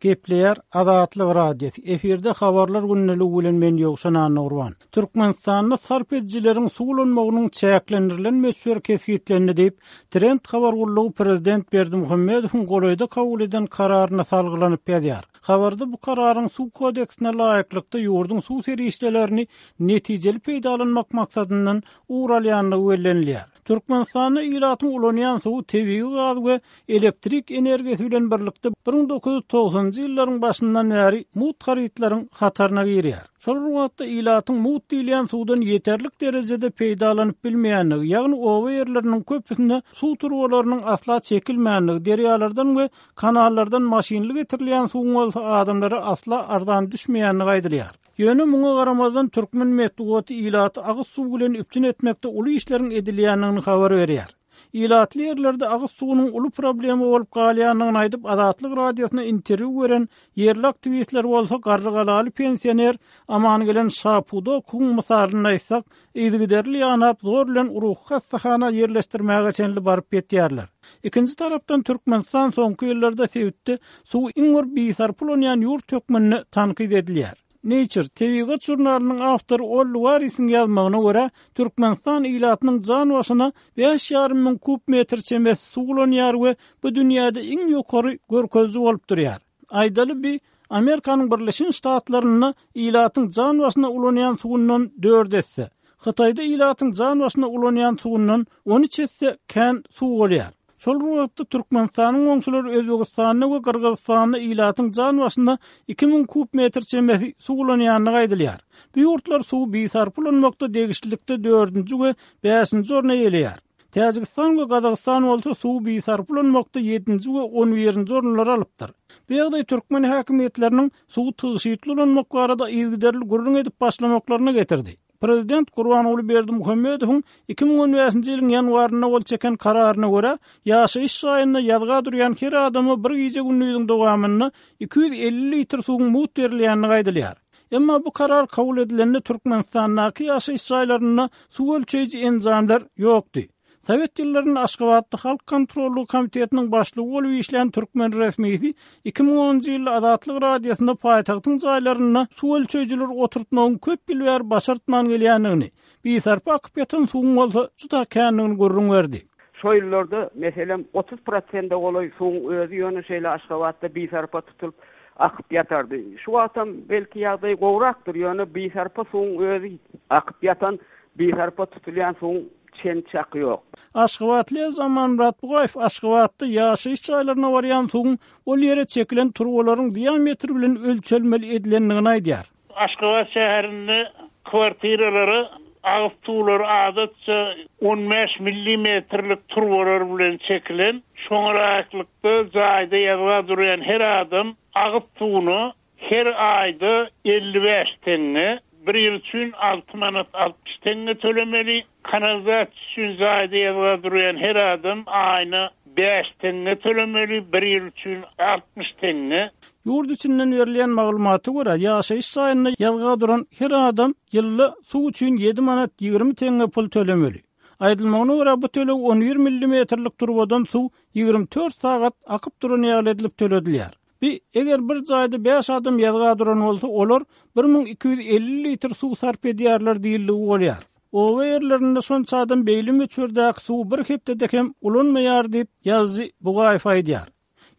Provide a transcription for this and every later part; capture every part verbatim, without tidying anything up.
Gepleýär Azatlyk Radiosy. Efirde habarlar gündeligi bilen men Ýowşan Annagurban. Türkmenistanda sarp edijileriň suw ulanmagynyň çäklendirilen möçberi kesgitlendi diýip, Trend habar gullugy prezident Berdimuhamedowyň golaýda kabul eden kararyna salgylanyp ýazýar. Habarda bu kararyň suw kodeksine laýyklykda ýurduň suw serişdelerini netijeli peýdalanmak maksadyndan ugur alýandygy bellenilýär. Türkmenistanda ilatyň ulanýan suwy tebigy gaz we elektrik energiýasy bilen birlikde bir müň dokuz ýüz togsanynjy ýyllaryň başyndan bäri mugt harytlaryň hataryna girýär. Şol bir wagtda ilatyň mugt diýilýän suwdan ýeterlik derejede peýdalanyp bilmeýändigi, ýagny oba ýerleriniň köpüsinde suw turbalarynyň asla çekilmändigi, derýalardan we kanallardan maşynly getirilýän suwuň bolsa adamlara asla arzan düşmeýändigi aýdylýar. Ýöne muňa garamazdan türkmen metbugaty ilaty agyz suw bilen üpjün etmekde uly işleriň edilýändigini habar berýär. Ilatly ýerlerde agyz suwunyň uly problema bolup galýandygyny aýdyp Azatlyk Radiosyna interwýu beren ýerli aktiwistler bolsa Garrygalaly pensioner Amangelen Şapudokowyň mysalyny aýtsak, yzygiderli ýanap zor bilen ruhy hassahana ýerleşdirmäge çenli baryp ýetýärler. Ikinji tarapdan Türkmenistan soňky ýyllarda sebitde suw iň bir bisarp ulanýan ýurt hökmünde tankyt edilýär. Nature tebigat žurnalynyň awtory Olli Warisiň ýazmagyna görä, Türkmenistan ilatynyň jan başyna bäş ýarym müň kub metr çemesi suw ulanýar we bu dünýäde iň ýokary görkeziji bolup durýar. Aýdaly bi Amerikanyň Birleşen Ştatlarynda ilatyň jan başyna ulanýan suwundan dört esse, Hytaýda ilatyň jan başyna ulanýan suwundan on üç esse kän suw bolýar. Şol bir wagtda Türkmenistanyň goňşulary Özbegistanda we Gyrgyzystanda ilatyň jan başyna iki müň kub metr çemesi suw ulanýandygy aýdylýar. Bu ýurtlar suwy bisarp ulanmakda degişlilikde dördünji we bäşinji orny eýeleýär. Täjigistan we Gazagystan bolsa suwy bisarp ulanmakda ýedinji we on birinji orunlary alypdyr. Bu ýagdaý türkmen häkimiýetleriniň suwy tygşytly ulanmak barada yzygiderli gürrüň edip başlamaklaryna getirdi. Prezident Gurbanguly Berdimuhamedowyň iki müň on bäşinji ýylyň ýanwarynda gol çeken kararyna görä, ýaşaýyş jaýynda ýazga durýan her adama bir gije gündiziň dowamynda iki ýüz elli litr suwuň mugt berilýändigi aýdylýar. Emma bu karar kabul edilende Türkmenistandaky ýaşaýyş jaýlarynda suw ölçeýji enjamlar ýokdy. Sowet ýyllarynda Aşgabatda Halk kontrollygy komitetiniň başlygy bolup işlän türkmen resmisi iki müň onunjy ýylda Azatlyk Radiosynda paýtagtyň jaýlarynda suw ölçeýjileri oturtmagyň köp ýyl bäri başartman gelýändigini, bisarpa akyp ýatan suwuň bolsa juda kändigini gürrüň berdi. Şo ýyllarda, meselem, otuz prosente golaý suwuň özi ýöne şeýle Aşgabatda bisarpa tutulyp akyp ýatardy. Şu wagtam belki ýagdaý gowrakdyr, ýöne bisarpa suwuň özi akyp ýatan, bisarpa tutulýan suwuň çen çaky ýok. Aşgabatly Amanmyrat Bugaýew Aşgabatda ýaşaýyş jaýlaryna barýan suwuň ol ýere çekilen turbalaryň diametri bilen ölçelmeli edilendigini aýdýar. Aşgabat şäherinde kwartiralara agyz suwlary adatça on bäş millimetrlik turbalar bilen çekilen, şoňa laýyklykda jaýda ýazga durýan her adam agyz suwuna her aýda elli bäş tenge, bir ýyl üçin alty manat altmyş tenge tölemeli. Kanalizasiýa üçin jaýda ýazga durýan her adam aýna bäş tenge tölemeli, bir ýyl üçin altmyş tenge. Ýurt içinden berilýän maglumata görä, ýaşaýyş jaýynda ýazga duran her adam ýylda suw üçin ýedi manat ýigrimi tenge pul tölemeli. Aýdylmagyna görä, bu töleg on bir millimetrlik turbadan suw ýigrimi dört sagat akyp duran ýaly edilip töledilýär. Bi, eger bir jaýda bäş adam ýazga duran bolsa, olar bir müň iki ýüz elli litr suw sarp edýärler diýildigi bolýar. Oba ýerlerinde şonça adam beýli möçberdäki suwy bir hepdede hem ulanmaýar diýip ýazyjy Bugaýew aýdýar.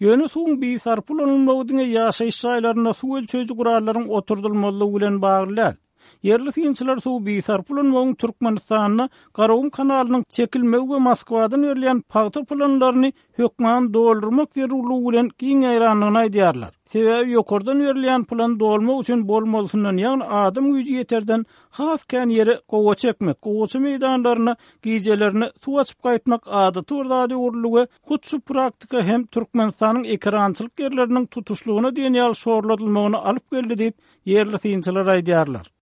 Ýöne suwuň bisarp ulanylmagy diňe ýaşaýyş jaýlarynda suw ölçeýji gurallaryň oturdylmalygy bilen bagly däl. Ýerli synçylar suwy bisarp ulanmagyň Türkmenistanda Garagum kanalynyň çekilmegi we Moskwadan berilýän pagta planlaryny hökman doldurmak zerurlygy bilen giň ýaýrandygyny aýdýarlar. Sebäbi ýokardan berilýän plan dolmak üçin bolmalysyndan, ýagny adam güýji ýeterden has kän ýere gowa çekmek, gowaça meýdanlaryna gijelerini suw açyp gaýtmak adaty bir zat öwrüldi we hut şu praktika hem Türkmenistanyň ekerançylyk ýerleriniň tutuşlygyna diýen ýaly şorladylmagyny alyp geldi diýip ýerli synçylar aýdýarlar.